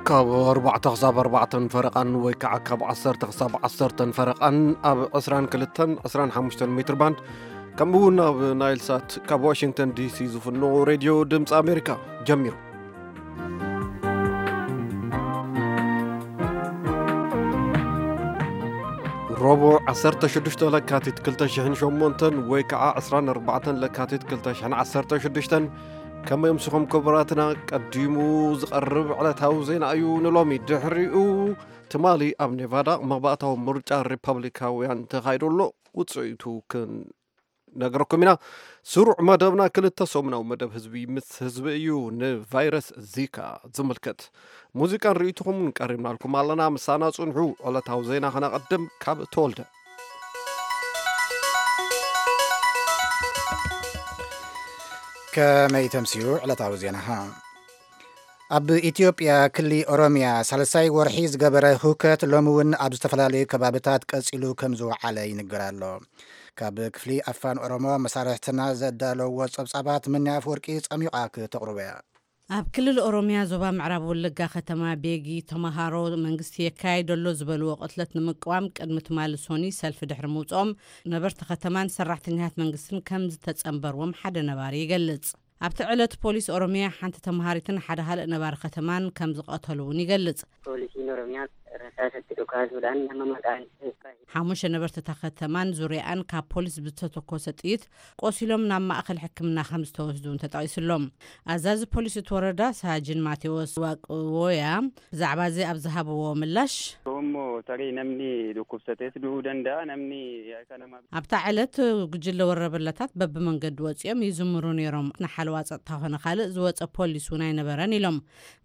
ካብ ኣርባዕተ ክሳብ ኣርባዕተን ፈረቓን ወይ ከዓ ካብ ዓሰርተ ክሳብ ዓሰርተን ፈረቓን ኣብ ዕስራን ክልተን ዕስራን ሓሙሽተን ሜትር ባንድ፣ ከምኡ እውን ኣብ ናይል ሳት ካብ ዋሽንግተን ዲሲ ዝፍኖ ሬድዮ ድምፂ ኣሜሪካ ጀሚሩ። ረቡዕ ዓሰርተ ሽዱሽተ ለካቲት ክልተ ሽሕን ሸሞንተን ወይ ከዓ ዕስራን ኣርባዕተን ለካቲት ክልተ ሽሕን ዓሰርተ ሽዱሽተን፣ ከመይ ኣምሲኹም ክቡራትና? ቀዲሙ ዝቐርብ ዕለታዊ ዜና እዩ ንሎሚ። ድሕሪኡ ትማሊ ኣብ ኔቫዳ መባእታዊ ምርጫ ሪፐብሊካውያን ተኻይዱ ኣሎ። ውፅኢቱ ክንነግረኩም ኢና። ስሩዕ መደብና ክልተ ሰሙናዊ መደብ ህዝቢ ምስ ህዝቢ እዩ። ንቫይረስ ዚካ ዝምልከት ሙዚቃን ርእይቶኹምን ቀሪብናልኩም ኣለና። ምሳና ጽንሑ። ዕለታዊ ዜና ከነቐድም ካብ ተወልደ። ከመይ ተምስዩ ዕለታዊ ዜናኻ? ኣብ ኢትዮጵያ ክሊ ኦሮሚያ ሳልሳይ ወርሒ ዝገበረ ህውከት ሎሚ እውን ኣብ ዝተፈላለዩ ከባብታት ቀጺሉ ከም ዝወዓለ ይንገር ኣሎ። ካብ ክፍሊ ኣፋን ኦሮሞ መሳርሕትና ዘዳለውዎ ጸብጻባት ምንያ ኣፍወርቂ ጸሚቓ ክተቕርቦ እያ። ኣብ ክልል ኦሮሚያ ዞባ ምዕራብ ወለጋ ከተማ ቤጊ ተመሃሮ መንግስቲ የካይዶ ኣሎ ዝበልዎ ቅትለት ንምቅዋም ቅድሚ ትማሊ ሶኒ ሰልፊ ድሕሪ ምውፅኦም ነበርቲ ከተማን ሰራሕተኛታት መንግስትን ከም ዝተጸንበርዎም ሓደ ነባሪ ይገልጽ። ኣብቲ ዕለት ፖሊስ ኦሮሚያ ሓንቲ ተመሃሪትን ሓደ ካልእ ነባሪ ከተማን ከም ዝቐተሉ እውን ይገልጽ። Poolisiin Oromiyaa rasaasatti dhukaasuudhaan nama maqaan isaa ሓሙሽተ ነበርቲ እታ ከተማን ዙሪያኣን ካብ ፖሊስ ብዝተተኮሰ ጥይት ቆሲሎም ናብ ማእኸል ሕክምና ከም ዝተወስዱ እውን ተጠቒሱሎም። ኣዛዚ ፖሊስ እቲ ወረዳ ሳጅን ማቴዎስ ዋቅዎያ ብዛዕባ እዚ ኣብ ዝሃብዎ ምላሽ፣ Immoo tarii namni dhukkubsatees du'uu danda'a, namni akka nama ኣብታ ዕለት ጉጅለ ወረበላታት በብመንገዲ ወፂኦም ይዝምሩ ነይሮም። ንሓለዋ ፀጥታ ኮነ ካልእ ዝወፀ ፖሊስ እውን ኣይነበረን ኢሎም።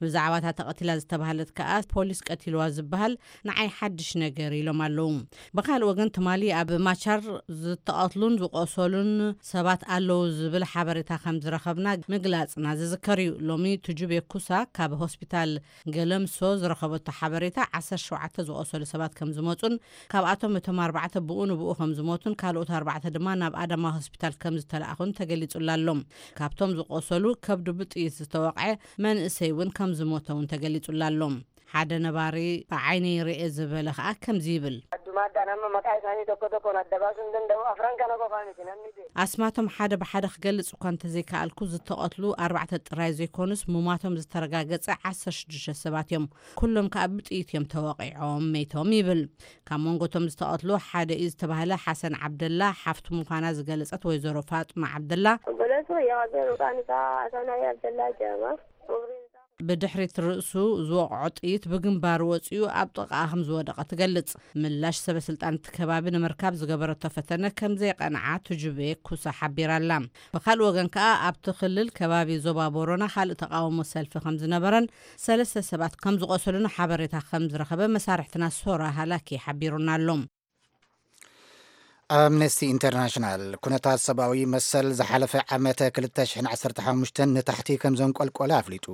ብዛዕባ እታ ተቐቲላ ዝተባህለት ከኣ ፖሊስ ቀቲልዋ ዝበሃል ንዓይ ሓድሽ ነገር ኢሎም ኣለዉ። ብኻልእ ወገን ትማሊ ኣብ ማቻር ዝተቐትሉን ዝቆሰሉን ሰባት ኣለዉ ዝብል ሓበሬታ ከም ዝረኸብና ምግላፅና ዝዝከር እዩ። ሎሚ ቱጁቤ ኩሳ ካብ ሆስፒታል ገለምሶ ዝረኸበቶ ሓበሬታ ዓሰርተ ሸውዓተ ዝቆሰሉ ሰባት ከም ዝመፁን ካብኣቶም እቶም ኣርባዕተ ብኡ ንብኡ ከም ዝሞቱን ካልኦት ኣርባዕተ ድማ ናብ ኣዳማ ሆስፒታል ከም ዝተለኣኹን ተገሊጹላ ኣሎ። ካብቶም ዝቆሰሉ ከብዱ ብጥይት ዝተወቕዐ መንእሰይ እውን ከም ዝሞተ እውን ተገሊጹላ ኣሎ። ሓደ ነባሪ ብዓይነይ ርኤ ዝበለ ከኣ ከምዚ ይብል። Addumaadhaan amma maqaa isaanii tokko tokkoon adda baasuu hin danda'u. Afran kana qofaa miti namni du'e. ኣስማቶም ሓደ ብሓደ ክገልጽ እኳ እንተዘይከኣልኩ ዝተቐትሉ ኣርባዕተ ጥራይ ዘይኮኑስ ሙማቶም ዝተረጋገጸ ዓሰርተ ሽዱሽተ ሰባት እዮም። ኩሎም ከኣ ብጥይት እዮም ተወቒዖም መይቶም ይብል። ካብ መንጎ እቶም ዝተቐትሉ ሓደ እዩ ዝተባህለ ሓሰን ዓብደላ ሓፍቱ ምዃና ዝገለጸት ወይዘሮ ፋጥማ ዓብደላ፣ Obboleessi wayyaa Waaqayyo maqaan isaa Hasanaa Abdallaa jedhama. Umriin isaa ብድሕሪት ርእሱ ዝወቕዖ ጥይት ብግንባሩ ወጺኡ ኣብ ጥቓኣ ከም ዝወደቐ ትገልጽ። ምላሽ ሰበ ስልጣን እቲ ከባቢ ንምርካብ ዝገበረቶ ፈተነ ከም ዘይቐንዓ ቱጁቤ ኩሳ ሓቢራ ኣላ። ብኻልእ ወገን ከኣ ኣብቲ ክልል ከባቢ ዞባ ቦሮና ካልእ ተቓውሞ ሰልፊ ከም ዝነበረን ሰለስተ ሰባት ከም ዝቖሰሉን ሓበሬታ ከም ዝረኸበ መሳርሕትና ሶራ ሃላኪ ሓቢሩና ኣሎ። ኣምነስቲ ኢንተርናሽናል ኩነታት ሰብኣዊ መሰል ዝሓለፈ ዓመት ክልተ ሽሕን ዓሰርተ ሓሙሽተን ንታሕቲ ከም ዘንቆልቆለ ኣፍሊጡ።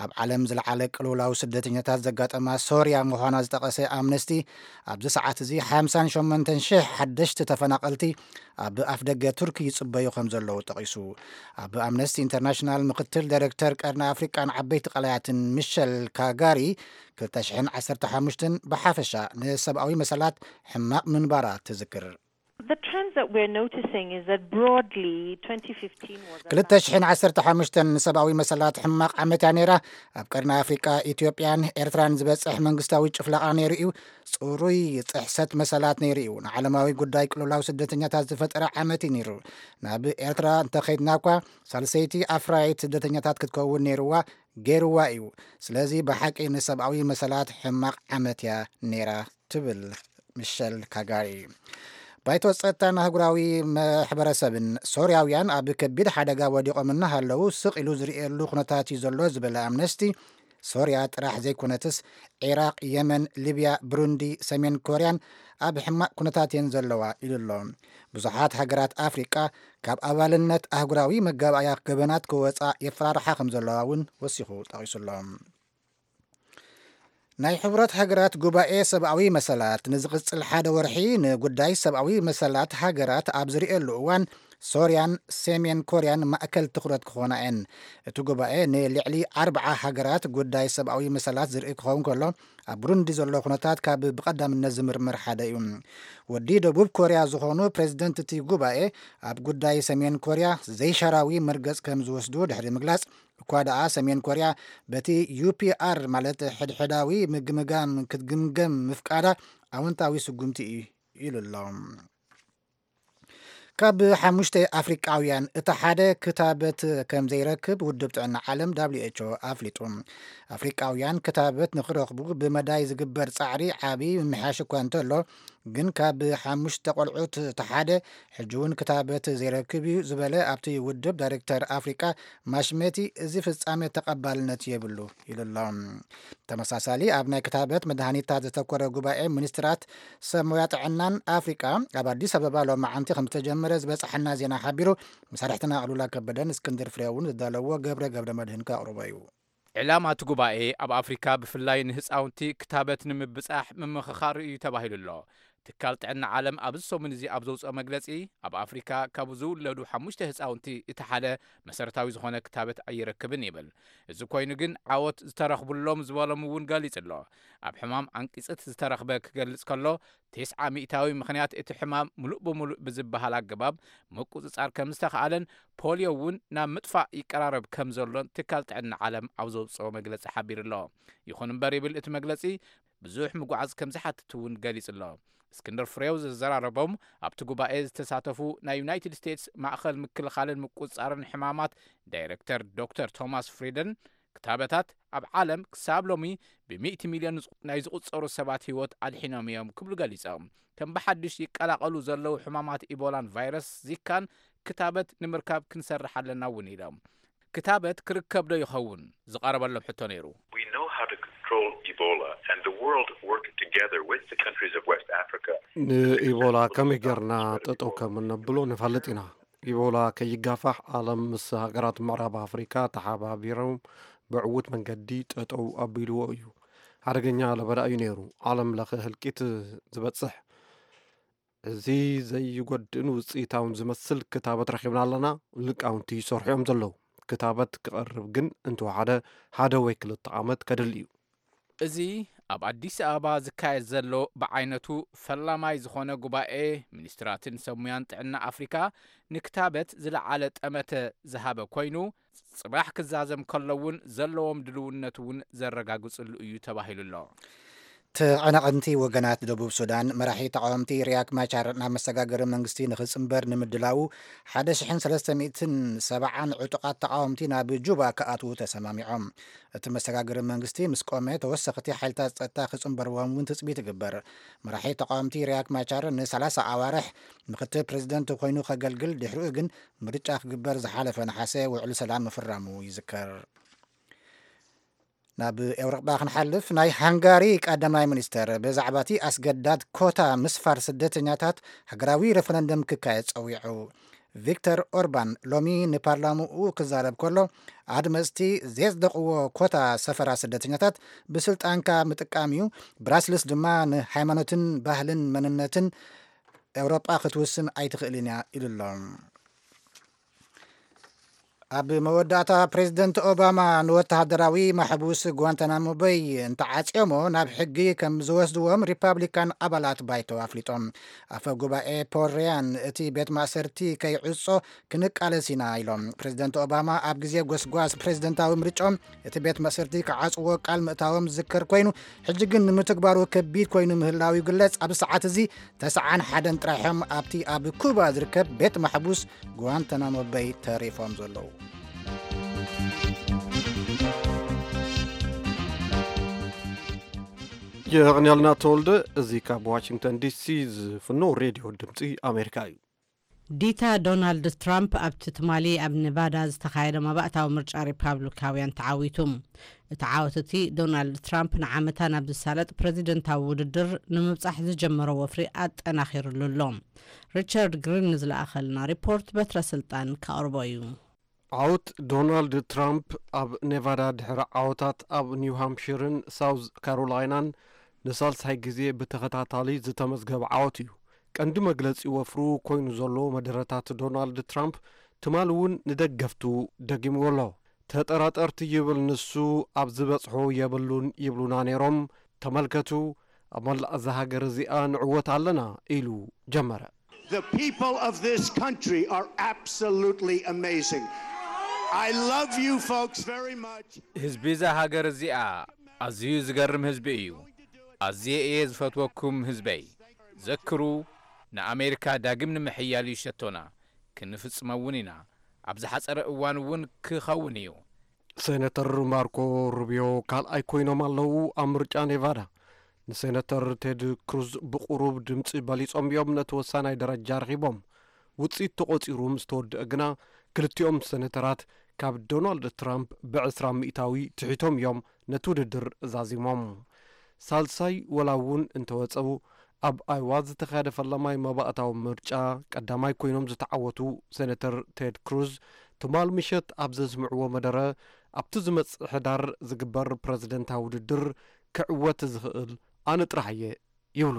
ኣብ ዓለም ዝለዓለ ቅልውላው ስደተኛታት ዘጋጠማ ሶርያ ምዃና ዝጠቐሰ ኣምነስቲ፣ ኣብዚ ሰዓት እዚ ሓምሳን ሸሞንተን ሽሕ ሓደሽቲ ተፈናቐልቲ ኣብ ኣፍደገ ቱርኪ ይጽበዩ ከም ዘለዉ ጠቒሱ። ኣብ ኣምነስቲ ኢንተርናሽናል ምክትል ዳይሬክተር ቀርኒ ኣፍሪቃን ዓበይቲ ቀላያትን ሚሸል ካጋሪ፣ ክልተ ሽሕን ዓሰርተ ሓሙሽተን ብሓፈሻ ንሰብኣዊ መሰላት ሕማቕ ምንባራ ትዝክር። The trends that we're noticing is that broadly twenty fifteen was a ክልተ ሽሕን ዓሰርተ ሓሙሽተን ንሰብኣዊ መሰላት ሕማቕ ዓመት እያ ነይራ። ኣብ ቀርኒ ኣፍሪቃ፣ ኢትዮጵያን ኤርትራን ዝበጽሕ መንግስታዊ ጭፍለቓ ነይሩ እዩ። ጽሩይ ጥሕሰት መሰላት ነይሩ እዩ። ንዓለማዊ ጉዳይ ቅልውላው ስደተኛታት ዝፈጠረ ዓመት እዩ ነይሩ። ናብ ኤርትራ እንተኸይድና እኳ፣ ሳልሰይቲ ኣፍራይት ስደተኛታት ክትከውን ነይርዋ፣ ገይርዋ እዩ። ስለዚ ብሓቂ ንሰብኣዊ መሰላት ሕማቕ ዓመት እያ ነይራ፣ ትብል ሚሸል ካጋሪ። ባይቶ ጸጥታን ኣህጉራዊ ማሕበረሰብን፣ ሶርያውያን ኣብ ከቢድ ሓደጋ ወዲቖም እናሃለዉ ስቕ ኢሉ ዝርእየሉ ኩነታት እዩ ዘሎ ዝበለ ኣምነስቲ፣ ሶርያ ጥራሕ ዘይኮነትስ፣ ዒራቕ፣ የመን፣ ሊብያ፣ ብሩንዲ፣ ሰሜን ኮርያን ኣብ ሕማቕ ኩነታት እየን ዘለዋ ኢሉ ኣሎ። ብዙሓት ሃገራት ኣፍሪቃ ካብ ኣባልነት ኣህጉራዊ መጋባእያ ገበናት ክወጻ የፈራርሓ ከም ዘለዋ እውን ወሲኹ ጠቒሱ ኣሎ። ናይ ሕቡራት ሃገራት ጉባኤ ሰብኣዊ መሰላት ንዝቕጽል ሓደ ወርሒ ንጉዳይ ሰብኣዊ መሰላት ሃገራት ኣብ ዝርእየሉ እዋን፣ ሶርያን ሰሜን ኮርያን ማእከል ትኹረት ክኾና እየን። እቲ ጉባኤ ንልዕሊ ኣርብዓ ሃገራት ጉዳይ ሰብኣዊ መሰላት ዝርኢ ክኸውን ከሎ፣ ኣብ ብሩንዲ ዘሎ ኩነታት ካብ ብቐዳምነት ዝምርመር ሓደ እዩ። ወዲ ደቡብ ኮርያ ዝኾኑ ፕሬዝደንት እቲ ጉባኤ፣ ኣብ ጉዳይ ሰሜን ኮርያ ዘይሻራዊ መርገጽ ከም ዝወስዱ ድሕሪ ምግላጽ፣ እኳ ደኣ ሰሜን ኮርያ በቲ ዩ ፒ ኣር፣ ማለት ሕድሕዳዊ ምግምጋም ክትግምገም ምፍቃዳ ኣወንታዊ ስጉምቲ እዩ ኢሉ ኣሎ። ካብ ሓሙሽተ ኣፍሪቃውያን እቲ ሓደ ክታበት ከም ዘይረክብ ውድብ ጥዕና ዓለም ደብሊው ኤች ኦ ኣፍሊጡ። ኣፍሪቃውያን ክታበት ንክረኽቡ ብመዳይ ዝግበር ጻዕሪ ዓቢ ምምሕያሽ እኳ እንተሎ፣ ግን ካብ ሓሙሽተ ቆልዑት እቲ ሓደ ሕጂ እውን ክታበት ዘይረክብ እዩ ዝበለ ኣብቲ ውድብ ዳይሬክተር ኣፍሪቃ ማሽሜቲ፣ እዚ ፍጻሜ ተቐባልነት የብሉ ኢሉ ኣሎ። ተመሳሳሊ ኣብ ናይ ክታበት መድሃኒታት ዘተኮረ ጉባኤ ሚኒስትራት ሰብ ሞያ ጥዕናን ኣፍሪቃ ኣብ ኣዲስ ኣበባ ሎማዓንቲ ከም ዝተጀመረ ዝበጻሓና ዜና ሓቢሩ። መሳርሕትና ኣሉላ ከበደን እስክንድር ፍሬውን ዝዳለዎ ገብረ ገብረ መድህን ከቕርቦ እዩ። ዕላማ እቲ ጉባኤ ኣብ ኣፍሪካ ብፍላይ ንህፃውንቲ ክታበት ንምብፃሕ ምምኽኻር እዩ ተባሂሉ ኣሎ። ትካል ጥዕና ዓለም ኣብዚ ሰሙን እዚ ኣብ ዘውፅኦ መግለፂ፣ ኣብ ኣፍሪካ ካብ ዝውለዱ ሓሙሽተ ህፃውንቲ እቲ ሓደ መሰረታዊ ዝኾነ ክታበት ኣይረክብን ይብል። እዚ ኮይኑ ግን ዓወት ዝተረኽቡሎም ዝበሎም እውን ገሊጹ ኣሎ። ኣብ ሕማም ዓንቂፅት ዝተረኽበ ክገልጽ ከሎ፣ ተስዓ ሚእታዊ ምኽንያት እቲ ሕማም ሙሉእ ብሙሉእ ብዝበሃል ኣገባብ ምቁጽጻር ከም ዝተኽኣለን ፖልዮ እውን ናብ ምጥፋእ ይቀራረብ ከም ዘሎን ትካል ጥዕና ዓለም ኣብ ዘውፅኦ መግለጺ ሓቢሩ ኣሎ። ይኹን እምበር ይብል እቲ መግለጺ፣ ብዙሕ ምጉዓዝ ከም ዝሓትት እውን ገሊጹ ኣሎ። እስክንድር ፍሬው ዘዘራረቦም ኣብቲ ጉባኤ ዝተሳተፉ ናይ ዩናይትድ ስቴትስ ማእኸል ምክልኻልን ምቁጽጻርን ሕማማት ዳይሬክተር ዶክተር ቶማስ ፍሪደን፣ ክታበታት ኣብ ዓለም ክሳብ ሎሚ ብሚእቲ ሚልዮን ናይ ዝቑጸሩ ሰባት ህይወት ኣድሒኖም እዮም ክብሉ ገሊጾም። ከም ብሓድሽ ይቀላቐሉ ዘለዉ ሕማማት ኢቦላን ቫይረስ ዚካን ክታበት ንምርካብ ክንሰርሕ ኣለና እውን ኢሎም። ክታበት ክርከብ ዶ ይኸውን ዝቐረበሎም ሕቶ ነይሩ። We know how to control Ebola, and the world worked together with the countries of West Africa. ንኢቦላ ከመይ ጌርና ጠጠው ከም እነብሎ ንፈልጥ ኢና። ኢቦላ ከይጋፋሕ ዓለም ምስ ሃገራት ምዕራብ ኣፍሪካ ተሓባቢሮም ብዕዉት መንገዲ ጠጠው ኣቢልዎ እዩ። ሓደገኛ ለበዳ እዩ ነይሩ። ዓለም ለኸ ህልቂት ዝበፅሕ፣ እዚ ዘይጎድእን ውፅኢታውን ዝመስል ክታበት ረኺብና ኣለና። ሊቃውንቲ ይሰርሑ እዮም ዘለዉ። ክታበት ክቐርብ ግን እንተወሓደ ሓደ ወይ ክልተ ዓመት ከድሊ እዩ። እዚ ኣብ ኣዲስ ኣበባ ዝካየድ ዘሎ ብዓይነቱ ፈላማይ ዝኾነ ጉባኤ ሚኒስትራትን ሰብ ሙያን ጥዕና ኣፍሪካ ንክታበት ዝለዓለ ጠመተ ዝሃበ ኮይኑ፣ ጽባሕ ክዛዘም ከሎ እውን ዘለዎም ድልውነት እውን ዘረጋግጽሉ እዩ ተባሂሉ ኣሎ። ተቐናቐንቲ ወገናት ደቡብ ሱዳን፣ መራሒ ተቓወምቲ ሪያክ ማቻር ናብ መሰጋገሪ መንግስቲ ንኽጽንበር ንምድላዉ ሓደ ሽሕን ሰለስተ ሚእትን ሰብዓን ዕጡቓት ተቓወምቲ ናብ ጁባ ክኣትዉ ተሰማሚዖም። እቲ መሰጋገሪ መንግስቲ ምስ ቆመ፣ ተወሰኽቲ ሓይልታት ጸጥታ ክጽንበርዎም እውን ትጽቢት ይግበር። መራሒ ተቓወምቲ ሪያክ ማቻር ንሰላሳ ኣዋርሕ ምክትል ፕሬዝደንት ኮይኑ ከገልግል፣ ድሕሪኡ ግን ምርጫ ክግበር ዝሓለፈ ነሓሰ ውዕሊ ሰላም ምፍራሙ ይዝከር። ናብ ኤውሮጳ ክንሓልፍ፣ ናይ ሃንጋሪ ቀዳማይ ሚኒስተር ብዛዕባ እቲ ኣስገዳድ ኮታ ምስፋር ስደተኛታት ሃገራዊ ሬፈረንደም ክካየድ ጸዊዑ። ቪክተር ኦርባን ሎሚ ንፓርላምኡ ክዛረብ ከሎ፣ ኣድመጽቲ ዘጽደቕዎ ኮታ ሰፈራ ስደተኛታት ብስልጣንካ ምጥቃም እዩ፣ ብራስልስ ድማ ንሃይማኖትን ባህልን መንነትን ኤውሮጳ ክትውስን ኣይትኽእልን እያ ኢሉ ኣሎ። ኣብ መወዳእታ፣ ፕሬዝደንት ኦባማ ንወተሃደራዊ ማሕቡስ ጓንታናሞ በይ እንተዓጽዮሞ ናብ ሕጊ ከም ዝወስድዎም ሪፓብሊካን ኣባላት ባይቶ ኣፍሊጦም። ኣፈ ጉባኤ ፖል ሪያን፣ እቲ ቤት ማእሰርቲ ከይዕጾ ክንቃለስ ኢና ኢሎም። ፕሬዝደንት ኦባማ ኣብ ግዜ ጎስጓስ ፕሬዝደንታዊ ምርጫኦም እቲ ቤት ማእሰርቲ ክዓጽዎ ቃል ምእታዎም ዝዝከር ኮይኑ፣ ሕጂ ግን ንምትግባሩ ከቢድ ኮይኑ ምህላው ይግለጽ። ኣብዚ ሰዓት እዚ ተስዓን ሓደን ጥራሕም ኣብቲ ኣብ ኩባ ዝርከብ ቤት ማሕቡስ ጓንታናሞ በይ ተሪፎም ዘለዉ። የቐንያልና ተወልደ። እዚ ካብ ዋሽንግተን ዲሲ ዝፍኖ ሬድዮ ድምፂ ኣሜሪካ እዩ። ዲታ ዶናልድ ትራምፕ ኣብቲ ትማሊ ኣብ ኔቫዳ ዝተኻየደ መባእታዊ ምርጫ ሪፓብሊካውያን ተዓዊቱ። እቲ ዓወት እቲ ዶናልድ ትራምፕ ንዓመታ ናብ ዝሳለጥ ፕረዚደንታዊ ውድድር ንምብጻሕ ዝጀመሮ ወፍሪ ኣጠናኺሩሉ ኣሎ። ሪቻርድ ግሪን ንዝለኣኸልና ሪፖርት በትረ ስልጣን ከቕርቦ እዩ። ዓወት ዶናልድ ትራምፕ ኣብ ኔቫዳ ድሕሪ ዓወታት ኣብ ኒው ሃምፕሽርን ሳውዝ ካሮላይናን ንሳልሳይ ግዜ ብተኸታታሊ ዝተመዝገበ ዓወት እዩ። ቀንዲ መግለጺ ወፍሩ ኮይኑ ዘሎ መደረታት ዶናልድ ትራምፕ ትማሊ እውን ንደገፍቱ ደጊምዎ ኣሎ። ተጠራጠርቲ ይብል ንሱ፣ ኣብ ዝበጽሖ የብሉን ይብሉና ነይሮም። ተመልከቱ፣ ኣብ መላእ እዛ ሃገር እዚኣ ንዕወት ኣለና ኢሉ ጀመረ። The people of this country are absolutely amazing. I love you folks very much. ህዝቢ እዛ ሃገር እዚኣ ኣዝዩ ዝገርም ህዝቢ እዩ። ኣዝየ እየ ዝፈትወኩም ህዝበይ። ዘክሩ፣ ንኣሜሪካ ዳግም ንምሕያል እዩ ሸቶና። ክንፍጽሞ እውን ኢና። ኣብ ዝሓጸረ እዋን እውን ክኸውን እዩ። ሴነተር ማርኮ ሩቢዮ ካልኣይ ኮይኖም ኣለዉ ኣብ ምርጫ ኔቫዳ። ንሴነተር ቴድ ክሩዝ ብቑሩብ ድምጺ በሊጾም እዮም ነቲ ወሳናይ ደረጃ ረኺቦም። ውጽኢት ተቖጺሩ ምስ ተወድአ ግና፣ ክልቲኦም ሴነተራት ካብ ዶናልድ ትራምፕ ብዕስራ ሚእታዊ ትሒቶም እዮም ነቲ ውድድር ዛዚሞም። ሳልሳይ ወላ እውን እንተወጸኡ፣ ኣብ ኣይዋ ዝተኻየደ ፈላማይ መባእታዊ ምርጫ ቀዳማይ ኮይኖም ዝተዓወቱ ሴነተር ቴድ ክሩዝ፣ ትማል ምሸት ኣብ ዘስምዕዎ መደረ፣ ኣብቲ ዝመጽእ ሕዳር ዝግበር ፕረዚደንታዊ ውድድር ክዕወት ዝኽእል ኣነ ጥራሕ እየ ይብሉ።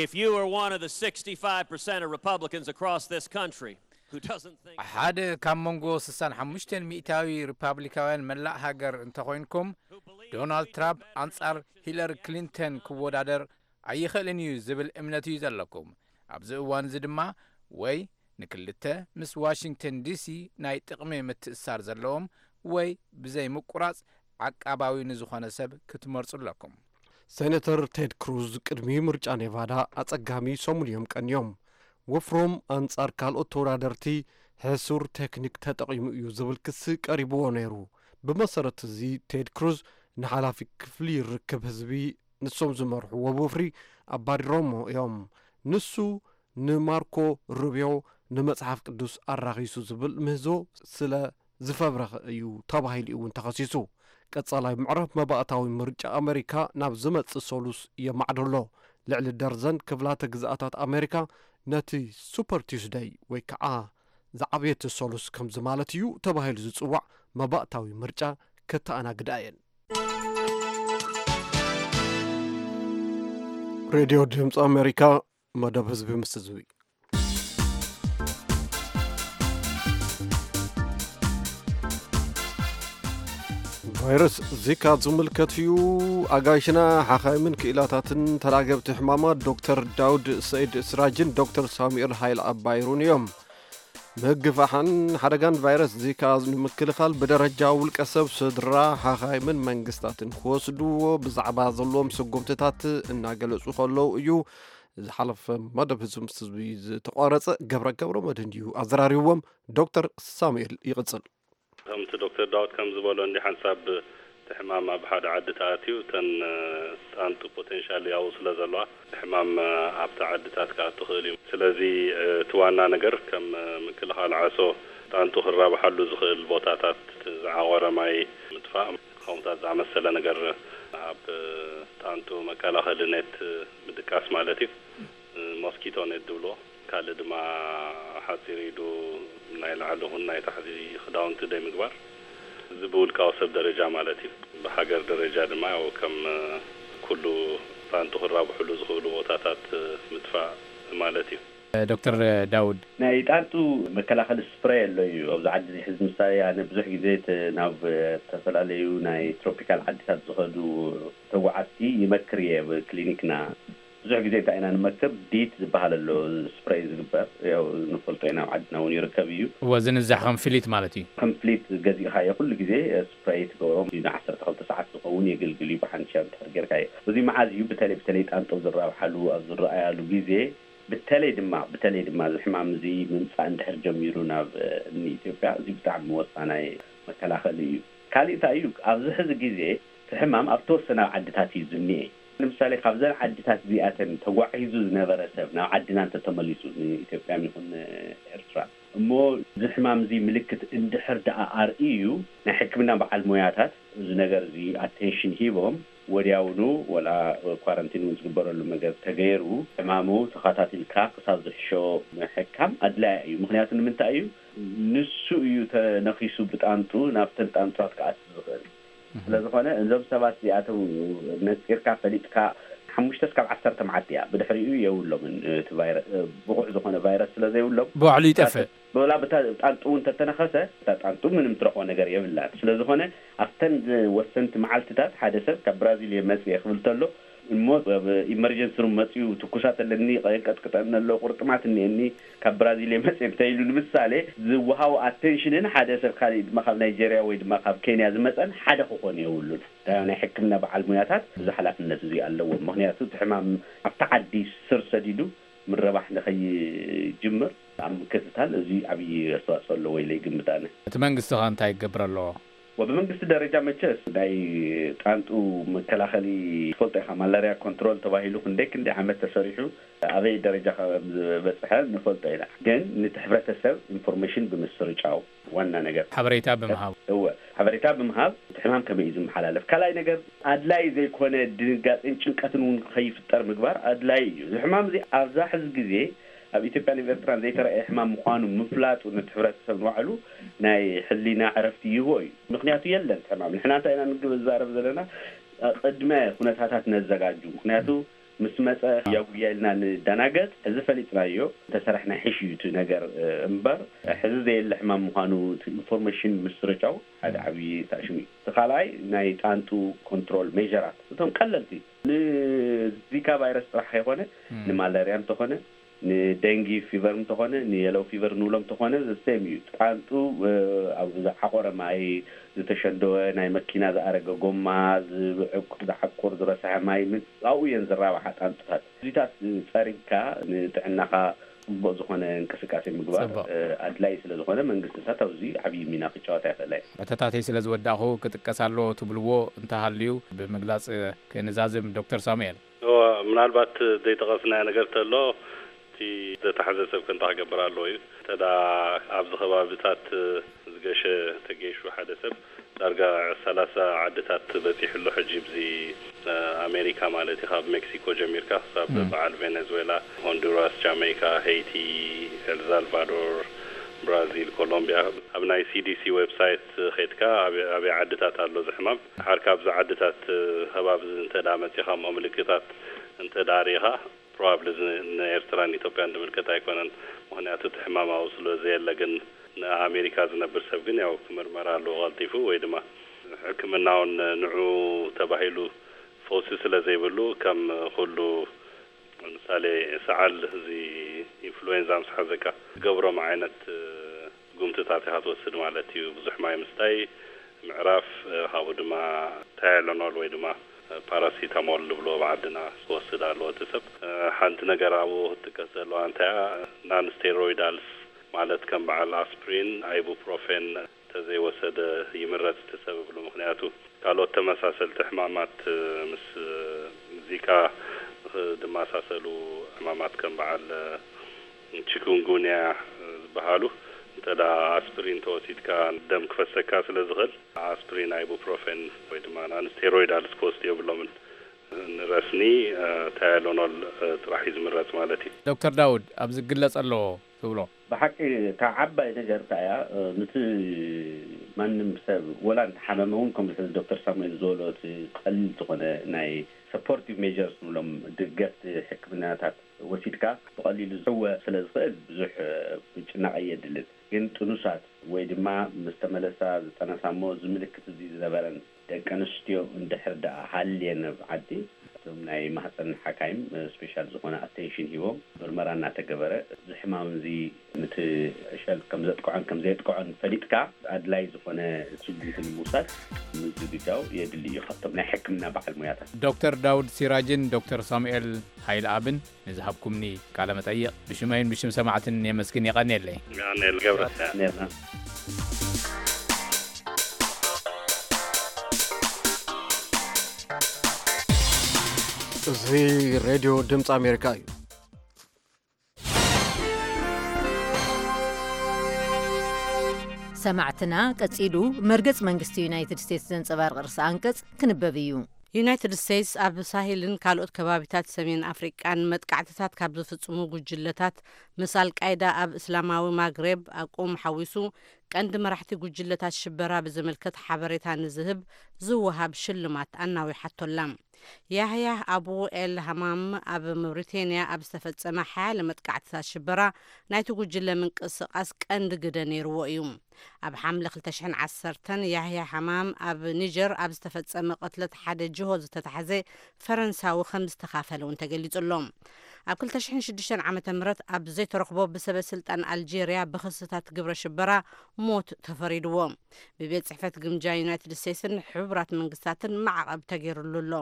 If you are one of the sixty-five percent of Republicans across this country who doesn't think ሓደ ካብ መንጎ ስሳን ሓሙሽተን ሚእታዊ ሪፓብሊካውያን መላእ ሃገር እንተኾይንኩም፣ ዶናልድ ትራምፕ ኣንጻር ሂለሪ ክሊንተን ክወዳደር ኣይኽእልን እዩ ዝብል እምነት እዩ ዘለኩም። ኣብዚ እዋን እዚ ድማ ወይ ንክልተ ምስ ዋሽንግተን ዲሲ ናይ ጥቕሚ ምትእስሳር ዘለዎም ወይ ብዘይ ምቁራጽ ዓቃባዊ ንዝኾነ ሰብ ክትመርጹ ኣለኩም። ሴነተር ቴድ ክሩዝ ቅድሚ ምርጫ ኔቫዳ ኣጸጋሚ ሰሙን እዮም ቀንዮም። ወፍሮም ኣንጻር ካልኦት ተወዳደርቲ ሕሱር ቴክኒክ ተጠቒሙ እዩ ዝብል ክሲ ቀሪብዎ ነይሩ። ብመሰረት እዚ ቴድ ክሩዝ ንሓላፊ ክፍሊ ርክብ ህዝቢ ንሶም ዝመርሕዎ ወፍሪ ኣባሪሮሞ እዮም። ንሱ ንማርኮ ሩቢዮ ንመጽሓፍ ቅዱስ ኣራኺሱ ዝብል ምህዞ ስለ ዝፈብረኸ እዩ ተባሂሉ እውን ተኸሲሱ። ቀጻላይ ምዕራፍ መባእታዊ ምርጫ ኣመሪካ ናብ ዝመጽእ ሰሉስ የማዕዶ ኣሎ። ልዕሊ ደርዘን ክፍላተ ግዝኣታት ኣመሪካ ነቲ ሱፐር ቲዩስደይ ወይ ከዓ ዝዓብየቲ ሰሉስ ከምዚ ማለት እዩ ተባሂሉ ዝጽዋዕ መባእታዊ ምርጫ ከተኣናግዳ እየን። ሬድዮ ድምፂ ኣሜሪካ፣ መደብ ህዝቢ ምስ ህዝቢ። ቫይረስ ዚካ ዝምልከት እዩ። ኣጋይሽና ሓኻይምን ክኢላታትን ተላገብቲ ሕማማት ዶክተር ዳውድ ሰይድ ስራጅን ዶክተር ሳሙኤል ሃይል ኣባይሩን እዮም። ምግፋሕን ሓደጋን ቫይረስ ዚካ ንምክልኻል ብደረጃ ውልቀ ሰብ፣ ስድራ፣ ሓኻይምን መንግስታትን ክወስድዎ ብዛዕባ ዘለዎም ስጉምትታት እናገለጹ ከለዉ እዩ። ዝሓለፈ መደብ ህዝቢ ምስ ህዝቢ ዝተቋረጸ ገብረ ገብረ መድህን እዩ ኣዘራሪብዎም። ዶክተር ሳሙኤል ይቕጽል። ከምቲ ዶክተር ዳውድ ከም ዝበሎ እንዲ ሓንሳብ እቲ ሕማም ኣብ ሓደ ዓዲ ተኣትዩ እተን ጣንጡ ፖቴንሻል ያው ስለ ዘለዋ እቲ ሕማም ኣብቲ ዓድታት ክኣቱ ክእል እዩ። ስለዚ እቲ ዋና ነገር ከም ምክልኻል ዓሶ ጣንጡ ክራብሓሉ ዝኽእል ቦታታት ዝዓቆረ ማይ ምጥፋእ ከምኡታት ዝኣመሰለ ነገር ኣብ ጣንጡ መከላኸሊ ኔት ምድቃስ ማለት እዩ። ሞስኪቶ ኔት ዝብልዎ ካልእ ድማ ሓፂር ኢዱ ናይ ላዕሊ ኹን ናይ ታሕቲ ክዳውንቲ ደይ ምግባር እዚ ብውልቃዊ ሰብ ደረጃ ማለት እዩ። ብሃገር ደረጃ ድማ ያው ከም ኩሉ ጣንጡ ክራብሕሉ ዝኽእሉ ቦታታት ምጥፋእ ማለት እዩ። ዶክተር ዳውድ፣ ናይ ጣንጡ መከላኸሊ ስፕሬይ ኣሎ እዩ ኣብዚ ዓዲ እዚ ሕዚ ምሳሌ ኣነ ብዙሕ ግዜ ናብ ዝተፈላለዩ ናይ ትሮፒካል ዓድታት ዝኸዱ ተጓዓዝቲ ይመክር እየ ኣብ ክሊኒክና ብዙሕ ግዜ እንታይ ኢና ንመክር ዲት ዝበሃል ኣሎ ስፕሬይ ዝግበር ያው ንፈልጦ ኢና ኣብ ዓድና እውን ይርከብ እዩ። እወ ዝንዛሕ ከም ፍሊት ማለት እዩ። ከም ፍሊት ገዚእኻዮ ኩሉ ግዜ ስፕሬይ ትገብሮም ንዓሰርተ ክልተ ሰዓት ዝኸውን የገልግል እዩ ብሓንሻ እንድሕር ጌርካዮ። እዚ መዓዝ እዩ በተለይ በተለይ ጣንጦ ዝራብሓሉ ኣብ ዝረኣያሉ ግዜ በተለይ ድማ በተለይ ድማ እዚ ሕማም እዚ ምምፃእ እንድሕር ጀሚሩ ናብ ንኢትዮጵያ እዚ ብጣዕሚ ወሳናይ መከላኸሊ እዩ። ካሊእ እንታይ እዩ ኣብዚ ሕዚ ግዜ እቲ ሕማም ኣብ ተወሰነ ኣብ ዓድታት እዩ ዝኒኤ። ንምሳሌ ካብዘን ዓድታት እዚኣተን ተጓዒዙ ዝነበረ ሰብ ናብ ዓድና እንተተመሊሱ ንኢትዮጵያ ይኹን ኤርትራ እሞ እዚ ሕማም እዚ ምልክት እንድሕር ደኣ ኣርእዩ ናይ ሕክምና በዓል ሞያታት እዚ ነገር እዚ ኣቴንሽን ሂቦም ወዲያውኑ ወላ ኳረንቲን እውን ዝግበረሉ መገብ ተገይሩ፣ ሕማሙ ተኸታቲልካ ክሳብ ዝሕሾ ምሕካም ኣድላያ እዩ። ምኽንያቱ ንምንታይ እዩ? ንሱ እዩ ተነኺሱ ብጣንጡ ናብተን ጣንጡታት ክኣቱ ዝኽእል። ስለ ዝኾነ እዞም ሰባት እዚኣቶም ነፂርካ ፈሊጥካ ሓሙሽተ እስካብ ዓሰርተ መዓልቲ እያ፣ ብድሕሪኡ የብሎምን። እቲ ቫይረ- ብቑዕ ዝኾነ ቫይረስ ስለ ዘይብሎም ብባዕሉ ይጠፍእ። ብላ ብታ ጣንጡ እውን ተተነኸሰ፣ እታ ጣንጡ ምንም ትረኽቦ ነገር የብላን። ስለ ዝኾነ ኣብተን ወሰንቲ መዓልትታት ሓደ ሰብ ካብ ብራዚል እየ መፅየ ክብል ተሎ፣ እሞ ኣብ ኢመርጀንሲ ሩም መፅዩ ትኩሳት ኣለኒ፣ የንቀጥቅጠኒ ኣሎ፣ ቁርጥማት እኒአኒ፣ ካብ ብራዚል እየ መፅየ እንተኢሉ ንምሳሌ ዝወሃቡ ኣቴንሽንን ሓደ ሰብ ካሊእ ድማ ካብ ናይጀርያ ወይ ድማ ካብ ኬንያ ዝመፀን ሓደ ክኾን የብሉን። ናይ ሕክምና በዓል ሙያታት እዚ ሓላፍነት እዚ ኣለዎም። ምክንያቱ እቲ ሕማም ኣብቲ ዓዲ ስር ሰዲዱ ምረባሕ ንኸይጅምር ኣብ ምክትታል እዚ ዓብዪ ኣስተዋፅኦ ኣለዎ ኢለ ይግምት ኣነ። እቲ መንግስቲ ኸ እንታይ ክገብር ኣለዎ? ወብመንግስቲ ደረጃ መቸስ ናይ ጣንጡ መከላኸሊ ትፈልጦ ኢኻ፣ ማላርያ ኮንትሮል ተባሂሉ ክንደይ ክንደይ ዓመት ተሰሪሑ ኣበይ ደረጃ ከም ዝበፅሐ ንፈልጦ ኢና። ግን ነቲ ሕብረተሰብ ኢንፎርሜሽን ብምስርጫው ዋና ነገር ሓበሬታ ብምሃብ እወ ሓበሬታ ብምሃብ እቲ ሕማም ከመይ እዩ ዝመሓላለፍ። ካልኣይ ነገር ኣድላይ ዘይኮነ ድንጋፅን ጭንቀትን እውን ከይፍጠር ምግባር ኣድላይ እዩ። እዚ ሕማም እዚ ኣብዛ ሕዚ ግዜ ኣብ ኢትዮጵያን ኣብ ኤርትራን ዘይተረኣየ ሕማም ምዃኑ ምፍላጡ ነቲ ሕብረተሰብ ንባዕሉ ናይ ሕሊና ዕረፍቲ ይህቦ እዩ። ምክንያቱ የለን ሕማም። ንሕና እንታይ ኢና ንዛረብ ዘለና? ቅድመ ኩነታታት ነዘጋጁ። ምክንያቱ ምስ መፀ ያጉያ ኢልና ንደናገጥ። ሕዚ ፈሊጥናዮ እንተሰራሕና ሕሽ እዩ እቲ ነገር እምበር ሕዚ ዘየለ ሕማም ምዃኑ ኢንፎርሜሽን ምስርጫው ሓደ ዓብዪ ሳሽም እዩ። እቲ ካልኣይ ናይ ጣንጡ ኮንትሮል ሜዥራት እቶም ቀለልቲ ንዚካ ቫይረስ ጥራሕ ከይኮነ ንማለርያ እንተኾነ ንደንጊ ፊቨር እንተኾነ ንየለው ፊቨር ንብሎም እንተኾነ ዘሴም እዩ። ጣንጡ ኣብ ዝሓቆረ ማይ ዝተሸንደወ ናይ መኪና ዝኣረገ ጎማ ዝዓቁር ዝረስሐ ማይ ኣብኡ እየን ዝራባሓ ጣንጡታት። እዚታት ፀሪግካ ንጥዕናኻ ፅቡቅ ዝኾነ እንቅስቃሴ ምግባር ኣድላይ ስለ ዝኾነ መንግስትታት ኣብዚ ዓብዪ ሚና ክጫወት ኣይኽእላ እየ። ሕቶታተይ ስለ ዝወዳእኹ ክጥቀስ ኣለዎ ትብልዎ እንተሃልዩ ብምግላፅ ክንዛዝም ዶክተር ሳሙኤል። ምናልባት ዘይጠቐስናዮ ነገር ተሎ እቲ ዘተሓዘ ሰብ ከንታ ክገብር ኣለዎ እዩ። ተዳ ኣብዚ ከባብታት ዝገሸ ተገይሹ ሓደ ሰብ ዳርጋ ሰላሳ ዓድታት በፂሑ ኣሎ ሕጂ ብዚ ኣሜሪካ ማለት እዩ። ካብ ሜክሲኮ ጀሚርካ ክሳብ በዓል ቬኔዙዌላ፣ ሆንዱራስ፣ ጃሜይካ፣ ሄይቲ፣ ኤልሳልቫዶር፣ ብራዚል፣ ኮሎምቢያ። ኣብ ናይ ሲዲሲ ዌብሳይት ከይድካ ኣበይ ዓድታት ኣሎ እዚ ሕማም፣ ሓር ካብዚ ዓድታት ከባቢ እንተ መፂኻ እሞ ምልክታት እንተ ርኢኻ ፕሮባብሊ እዚ ንኤርትራን ኢትዮጵያን ዝምልከት ኣይኮነን። ምኽንያቱ እቲ ሕማም ኣብኡ ስለ ዘየለ፣ ግን ንኣሜሪካ ዝነብር ሰብ ግን ያው ክምርመር ኣለዎ ቀልጢፉ፣ ወይ ድማ ሕክምናውን ንዑ ተባሂሉ ፈውሲ ስለ ዘይብሉ ከም ኩሉ ምሳሌ ሰዓል እዚ ኢንፍሉዌንዛ ምስ ሓዘካ ዝገብሮም ዓይነት ጉምትታት ኢኻ ትወስድ ማለት እዩ። ብዙሕ ማይ ምስታይ፣ ምዕራፍ፣ ካብኡ ድማ ታይለኖል ወይ ድማ ፓራሲታሞል ዝብሎ ኣብ ዓድና ክወስድ ኣለዎ እቲ ሰብ። ሓንቲ ነገር ኣብኡ ክትጥቀስ ዘለዋ እንታይ እያ፣ ናን ስቴሮይዳልስ ማለት ከም በዓል ኣስፕሪን፣ ኣይቡፕሮፌን ተዘይወሰደ ይምረፅ እቲ ሰብ እብሉ። ምክንያቱ ካልኦት ተመሳሰልቲ ሕማማት ምስ ዚካ ዝመሳሰሉ ሕማማት ከም በዓል ቺኩንጉንያ ዝበሃሉ እንተ ኣስፕሪን ተወሲድካ ደም ክፈሰካ ስለ ዝኽእል ኣስፕሪን፣ ኣይቡፕሮፌን ወይ ድማ ናን ስቴሮይዳልስ ክወስዱ የብሎምን። ንረስኒ ታይሎኖል ጥራሕ እዩ ዝምረፅ ማለት እዩ። ዶክተር ዳውድ፣ ኣብዚ ክግለፅ ኣለዎ ትብሎ? ብሓቂ እታ ዓባይ ነገር እንታይ እያ፣ ንቲ ማንም ሰብ ወላ እንተሓመመ እውን ከምዚ ሕዚ ዶክተር ሳሙኤል ዝበሎ እቲ ቀሊል ዝኾነ ናይ ሰፖርቲቭ ሜጀርስ ንብሎም ደገፍቲ ሕክምናታት ወሲድካ ብቐሊሉ ዝሕወ ስለ ዝኽእል ብዙሕ ምጭናቕ ኣየድልን። ግን ጥኑሳት ወይ ድማ ምስ ተመለሳ ዝጠነሳ እሞ እዚ ምልክት እዚ ዝነበረን ደቂ ኣንስትዮ እንድሕር ደኣ ሃልየን ኣብ ዓዲ እቶም ናይ ማህፀን ሓካይም ስፔሻል ዝኾነ ኣቴንሽን ሂቦም ምርመራ እናተገበረ እዚ ሕማም እዚ ንቲ ዕሸል ከም ዘጥቅዖን ከም ዘየጥቅዖን ፈሊጥካ ኣድላይ ዝኾነ ስጉምቲ ንምውሳድ ምዝግጃው የድሊ እዩ ካብቶም ናይ ሕክምና በዓል ሙያታት። ዶክተር ዳውድ ሲራጅን ዶክተር ሳሙኤል ሃይለኣብን ንዝሃብኩምኒ ቃለ መጠይቕ ብሽመይን ብሽም ሰማዕትን የመስግን። የቐንየለይ። ገብረ ነርና። እዚ ሬድዮ ድምፂ ኣሜሪካ እዩ። ሰማዕትና፣ ቀጺሉ መርገጽ መንግስቲ ዩናይትድ ስቴትስ ዘንጸባርቕ ርእሰ ኣንቀጽ ክንበብ እዩ። ዩናይትድ ስቴትስ ኣብ ሳሄልን ካልኦት ከባቢታት ሰሜን ኣፍሪቃን መጥቃዕትታት ካብ ዝፍጽሙ ጉጅለታት፣ ምስ ኣልቃይዳ ኣብ እስላማዊ ማግሬብ ኣቁም ሓዊሱ፣ ቀንዲ መራሕቲ ጉጅለታት ሽበራ ብዝምልከት ሓበሬታ ንዝህብ ዝወሃብ ሽልማት ኣናዊሓቶላ። ያህያ ኣቡ ኤል ሃማም ኣብ ምውሪቴንያ ኣብ ዝተፈጸመ ሓያለ መጥቃዕትታት ሽበራ፣ ናይቲ ጉጅለ ምንቅስቓስ ቀንዲ ግደ ነይርዎ እዩ። ኣብ ሓምለ ክልተ ሽሕን ዓሰርተን፣ ያህያ ሃማም ኣብ ኒጀር ኣብ ዝተፈጸመ ቅትለት ሓደ ጅሆ ዝተታሕዘ ፈረንሳዊ ከም ዝተኻፈለ እውን ተገሊጹ ኣሎ። ኣብ ክልተ ሽሕን ሽዱሽተን ዓመተ ምህረት ኣብ ዘይተረኽቦ ብሰበ ስልጣን ኣልጄርያ ብኽስታት ግብረ ሽበራ ሞት ተፈሪድዎ። ብቤት ጽሕፈት ግምጃ ዩናይትድ ስቴትስን ሕቡራት መንግስታትን ማዕቐብ ተገይሩሉ ኣሎ።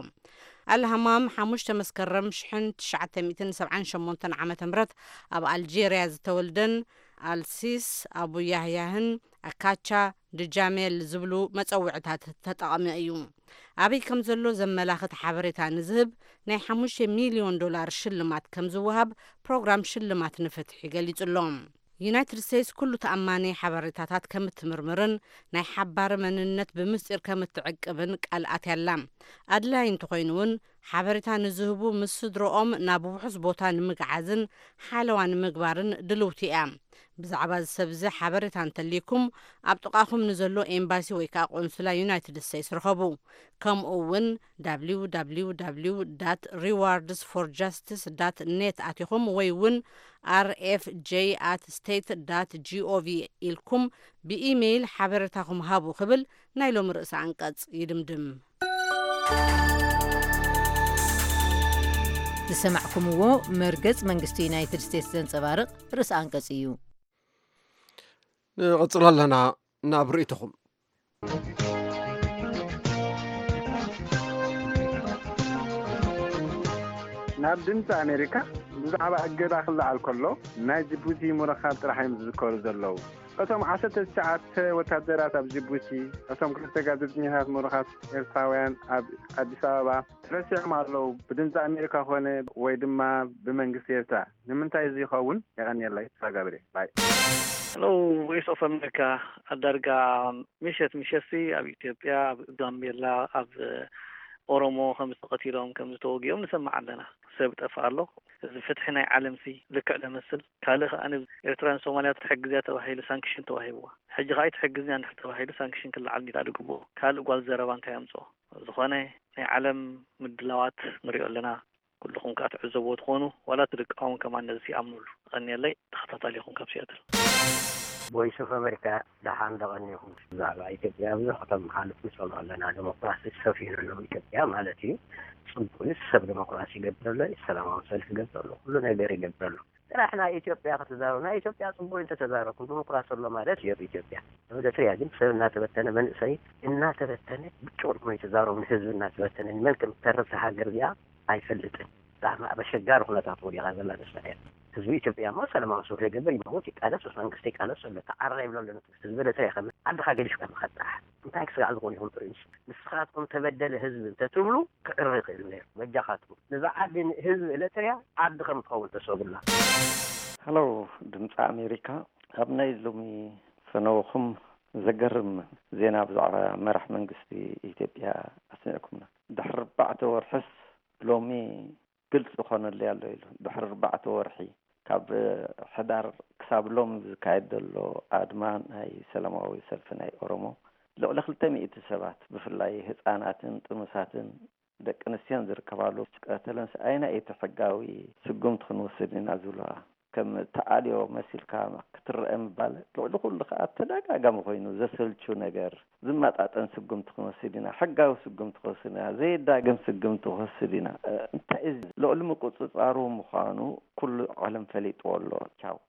ኣልሃማም ሓሙሽተ መስከረም ሽሕን ትሽዓተ ሚእትን ሰብዓን ሸሞንተን ዓመተ ምህረት ኣብ ኣልጄርያ ዝተወልደን ኣልሲስ ኣቡ ያህያህን ኣካቻ ድጃሜል ዝብሉ መጸውዕታት ተጠቐመ እዩ። ኣበይ ከም ዘሎ ዘመላኽት ሓበሬታ ንዝህብ ናይ ሓሙሽተ ሚልዮን ዶላር ሽልማት ከም ዝወሃብ ፕሮግራም ሽልማት ንፍትሒ ገሊጹ ኣሎ። ዩናይትድ ስቴትስ ኩሉ ተኣማኒ ሓበሬታታት ከም እትምርምርን ናይ ሓባሪ መንነት ብምስጢር ከም እትዕቅብን ቃል ኣትያ ኣላ። ኣድላዪ እንተኾይኑ እውን፣ ሓበሬታ ንዝህቡ ምስ ስድረኦም ናብ ውሑስ ቦታ ንምግዓዝን ሓለዋ ንምግባርን ድልውቲ እያ። ብዛዕባ እዚ ሰብ እዚ ሓበሬታ እንተልይኩም፣ ኣብ ጥቓኹም ንዘሎ ኤምባሲ ወይ ከዓ ቆንስላ ዩናይትድ ስቴትስ ርኸቡ። ከምኡ እውን www rewards for justice net ኣቲኹም ወይ እውን rfj at state dot gov ኢልኩም ብኢሜይል ሓበሬታኹም ሃቡ ክብል ናይ ሎሚ ርእሰ ኣንቀጽ ይድምድም። ዝሰማዕኩምዎ መርገጽ መንግስቲ ዩናይትድ ስቴትስ ዘንጸባርቕ ርእሰ ኣንቀጽ እዩ። ንቐጽል ኣለና ናብ ርእይቶኹም። ናብ ድምፂ ኣሜሪካ ብዛዕባ እገዳ ክለዓል ከሎ ናይ ጅቡቲ ምርኻብ ጥራሕ እዮም ዝዝከሩ ዘለዉ። እቶም ዓሰርተ ትሽዓተ ወታደራት ኣብ ጅቡቲ፣ እቶም ክልተ ጋዜጠኛታት ምሩኻት ኤርትራውያን ኣብ ኣዲስ ኣበባ ተረሲዖም ኣለዉ። ብድምፂ ኣሜሪካ ኮነ ወይ ድማ ብመንግስቲ ኤርትራ ንምንታይ እዚ ይኸውን? የቐንየለይ። ተሳጋብሬ ባይ። ሄሎ፣ ቮይስ ኦፍ ኣሜሪካ። ኣብ ዳርጋ ምሸት ምሸትሲ ኣብ ኢትዮጵያ፣ ኣብ ጋምቤላ፣ ኣብ ኦሮሞ ከም ዝተቐቲሎም ከም ዝተወጊኦም ንሰምዕ ኣለና። ሰብ ጠፍእ ኣሎ። እዚ ፍትሒ ናይ ዓለምሲ ልክዕ ደመስል። ካልእ ከኣ ኤርትራን ሶማልያ ትሕግዝያ ተባሂሉ ሳንክሽን ተዋሂብዋ። ሕጂ ከኣ ኣይትሕግዝንያ እንድሕር ተባሂሉ ሳንክሽን ክለዓል እንዲላ ድግብኦ። ካልእ ጓል ዘረባ እንታይ ኣምጽኦ? ዝኾነ ናይ ዓለም ምድላዋት ንሪኦ ኣለና። ኩልኹም ከኣ ትዕዘብዎ ትኾኑ፣ ዋላ እቲ ደቂ ኣውን ከማን ነዚ ይኣምኑሉ። የቐንየለይ፣ ተኸታታሊኹም ካብ ሲያትል። ቮይስ ኦፍ ኣሜሪካ ደሓን ደቐኒኹም። ብዛዕባ ኢትዮጵያ ብዙሕ ከተመሓልፉ ንሰምዖ ኣለና። ዲሞክራሲ ሰፊኑ ኣሎ ኢትዮጵያ ማለት እዩ። ጽቡቅ እዩ። ሰብ ዲሞክራሲ ይገብር ኣሎ፣ ሰላማዊ ሰልፊ ይገብር ኣሎ፣ ኩሉ ነገር ይገብር ኣሎ። ጥራሕ ናይ ኢትዮጵያ ክትዛረቡ፣ ናይ ኢትዮጵያ ጽቡቅ እንተተዛረብኩም ዲሞክራሲ ኣሎ ማለት እዩ ኣብ ኢትዮጵያ። ኣብ ኤርትርያ ግን ሰብ እናተበተነ መንእሰይ እናተበተነ ብጭቁን ኮይኑ ይተዛረቡ ንህዝቢ እናተበተነ ንመን ከም ተርፍ ሃገር እዚኣ ኣይፈልጥን። ብጣዕሚ ኣብ ኣሸጋሪ ኩነታት ወዲቓ ዘላ ንሳ እያ። ህዝቢ ኢትዮጵያ እሞ ሰላማዊ ሰልፊ ይገብር፣ ይመውት፣ ይቃለስ፣ ምስ መንግስቲ ይቃለስ ዘሎ ተዓረቕ ይብሎ ኣሎ። ህዝቢ ኤርትራ ይኸም ዓድኻ ገዲፍካ ምኻድ ጥራሕ። እንታይ ክስጋዕ ዝኾን ይኹን ጥሩይ ንሱ። ንስኻትኩም ተበደለ ህዝቢ እንተትብሉ ክዕረ ይኽእል ነይሩ። በጃኻትኩም ነዛ ዓዲ ህዝቢ ኤርትርያ ዓዲ ከም ትኸውን ተሰቡላ። ሃሎ ድምፂ ኣሜሪካ፣ ኣብ ናይ ሎሚ ፈነወኹም ዘገርም ዜና ብዛዕባ መራሕ መንግስቲ ኢትዮጵያ ኣስሚዕኩምና። ድሕሪ ኣርባዕተ ወርሕስ ሎሚ ግልፂ ኮነለይ ኣሎ ኢሉ። ድሕሪ ኣርባዕተ ወርሒ ካብ ሕዳር ክሳብ ሎም ዝካየድ ዘሎ ኣድማ ናይ ሰላማዊ ሰልፊ ናይ ኦሮሞ ልዕሊ ክልተ ሚእቲ ሰባት ብፍላይ ህፃናትን ጥኑሳትን ደቂ ኣንስትዮን ዝርከባሉ ቀተለን ስኣይና እቲ ሕጋዊ ስጉምቲ ክንወስድ ኢና ዝብልዋ ከም ተኣልዮ መሲልካ ክትረአ ምባል ልዕሊ ኩሉ ከዓ ተደጋጋሚ ኮይኑ ዘሰልቹ ነገር ዝመጣጠን ስጉምቲ ክንወስድ ኢና፣ ሕጋዊ ስጉምቲ ክወስድ ኢና፣ ዘየዳግም ስጉምቲ ክወስድ ኢና። እንታይ ልዕሊ ምቁፅፃሩ ምዃኑ ኩሉ ዓለም ፈሊጥዎ ኣሎ። ቻው።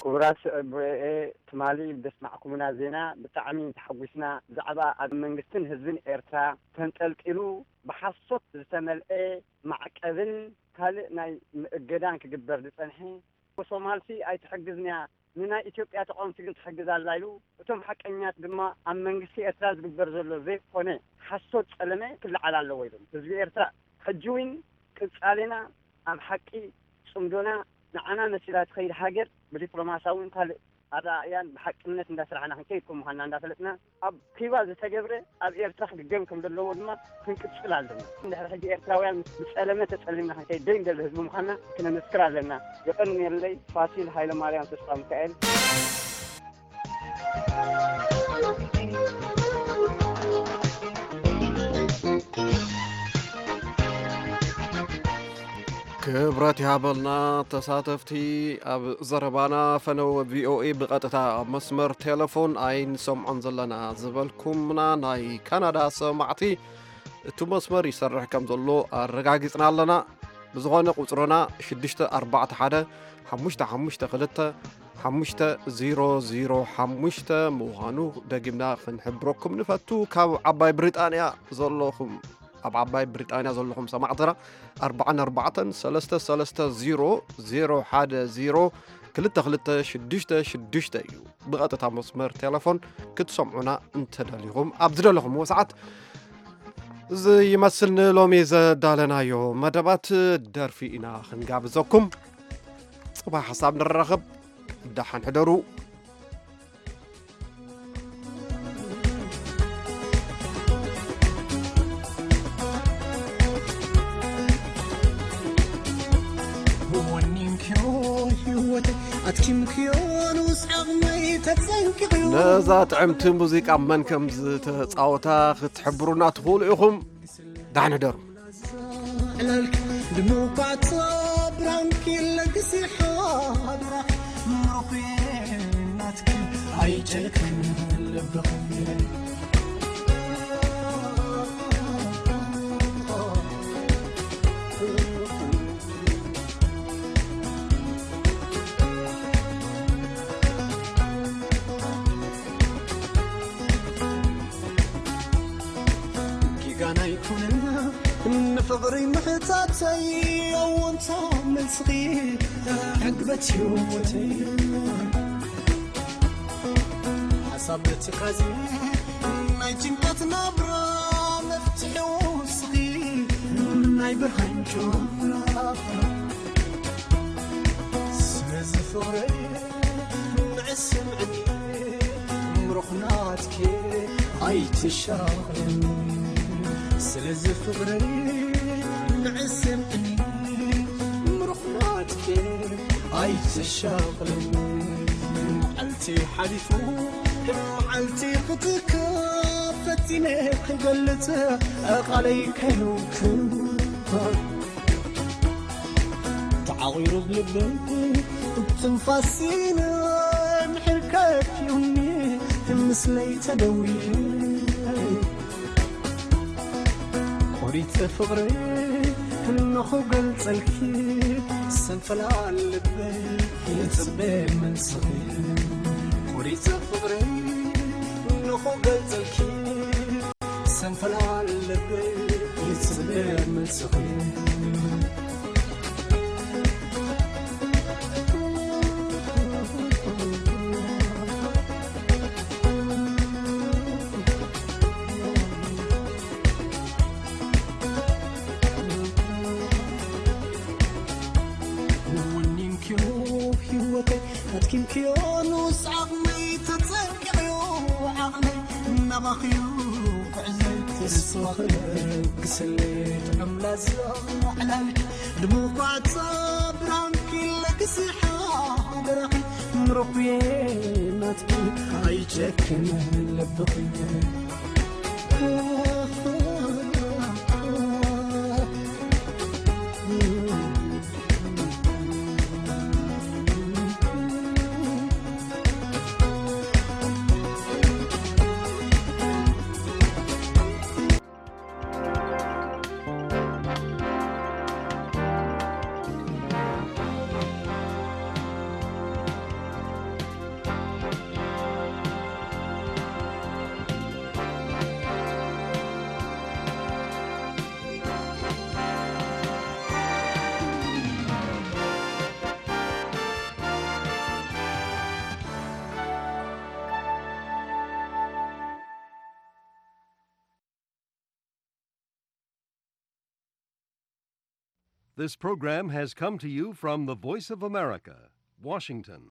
ክቡራት ስዕብ ቪኦኤ፣ ትማሊ ብዘስማዕኩምና ዜና ብጣዕሚ ተሓጒስና። ብዛዕባ ኣብ መንግስትን ህዝብን ኤርትራ ተንጠልጢሉ ብሓሶት ዝተመልአ ማዕቀብን ካልእ ናይ ምእገዳን ክግበር ዝጸንሐ፣ ሶማልሲ ኣይትሕግዝንያ፣ ንናይ ኢትዮጵያ ተቓወምቲ ግን ትሕግዝ ኣላ ኢሉ፣ እቶም ሓቀኛት ድማ ኣብ መንግስቲ ኤርትራ ዝግበር ዘሎ ዘይኮነ ሓሶት ጸለመ ክለዓል ኣለዎ ኢሎም። ህዝቢ ኤርትራ ሕጂ እውን ቅጻሌና ኣብ ሓቂ ጽምዶና ንዓና መሲላ ትኸይድ ሃገር ብዲፕሎማሳውን ካልእ ኣረኣእያን ብሓቅነት እንዳሰራሕና ክንከይድ ከም ምዃንና እንዳፈለጥና፣ ኣብ ኪባ ዝተገብረ ኣብ ኤርትራ ክድገም ከም ዘለዎ ድማ ክንቅጽል ኣለና። እንድሕር ሕጂ ኤርትራውያን ብጸለመ ተጸሊምና ክንከይድ ዘይንደሊ ህዝቢ ምዃንና ክነመስክር ኣለና። የቐንየለይ። ፋሲል ሃይለማርያም ተስፋ ሚካኤል። ክብረት ይሃበልና ተሳተፍቲ ኣብ ዘረባና። ፈነወ ቪኦኤ ብቐጥታ ኣብ መስመር ቴሌፎን ኣይንሰምዖን ዘለና ዝበልኩምና ናይ ካናዳ ሰማዕቲ፣ እቲ መስመር ይሰርሕ ከም ዘሎ ኣረጋጊጽና ኣለና። ብዝኾነ ቁጽርና ሽዱሽተ ኣርባዕተ ሓደ ሓሙሽተ ሓሙሽተ ክልተ ሓሙሽተ ዜሮ ዜሮ ሓሙሽተ ምዃኑ ደጊምና ክንሕብረኩም ንፈቱ። ካብ ዓባይ ብሪጣንያ ዘለኹም፣ ኣብ ዓባይ ብሪጣንያ ዘለኹም ሰማዕትና ኣርባዓን ኣርባዕተን ሰለስተ ሰለስተ ዜሮ ዜሮ ሓደ ዜሮ ክልተ ክልተ ሽዱሽተ ሽዱሽተ እዩ። ብቐጥታ መስመር ቴሌፎን ክትሰምዑና እንተደሊኹም ኣብ ዝደለኹምዎ ሰዓት። እዚ ይመስል ንሎሚ ዘዳለናዮ መደባት። ደርፊ ኢና ክንጋብዘኩም። ጽባሕ ሓሳብ ንራኸብ። ደሓን ሕደሩ። ወኒንክዮ ህይወተይ ኣትኪምክዮ ንኡስ ዓቕመይ ተጸንቂቕዮ። ነዛ ጥዕምቲ ሙዚቃ መን ከም ዝተጻወታ ክትሕብሩና ትኽእሉ ኢኹም። ዳሕን ሕደሩ። ዕላልክ ድምቋት ብራንኪ ለግሲ ሓደራ ምሩኹ ናትኪ ኣይጨክን ልብኺ። ጌጋና ኣይኮነን ንፍቕሪ ምሕታተይ፣ ኣወንታ መልስኺ ዕግበት ህይወተይ። ሓሳብ ትካዜ ናይ ጭንቀት ናብራ መፍትሒ ውስኺ ናይ ብርሃን ጨዋታ። ስለዚ ፍቕረይ ንዕስምዕኒ ምሩኽ ናትኪ ኣይትሻቕለኒ። ስለዚ ፍቕረይ ንዕስምዕኒ ምሩኽ ናትኪ ኣይትሻቕለኒ። መዓልቲ ሓሊፉ መዓልቲ ክትካ ፈቲነ ክገልጽ ቃለይ ከይውክል ተዓቒሩ ብልበይ ትንፋሲን ምሕር ከፊኡኒ ምስለይ ተደውየ ቆሪጸ ፍቕረይ እንሆ ገልጸልኪ ሰንፈላል ልበይ ይጽበ መልስኺ ቆሪጸ ፍቕረይ እንሆ ገልጸልኪ ሰንፈላል ልበይ ይጽበ መልስኺ። ወኒንክዮ ህይወተይ ኣድኪምክዮ ንኡስ ዓቕመይ ተጸንቂቕዮ ዓቕመይ ናባኽዩ ክዕዘይ ተስፋ ክለግሰለይ ጥዑም ላዛ ዕላልኪ ድምቋት ብራንኪ ለግሲ ሓደራኺ ምሩኽየ ናትኪ ኣይጨክን ልብኽየ። This program has come to you from the Voice of America, Washington.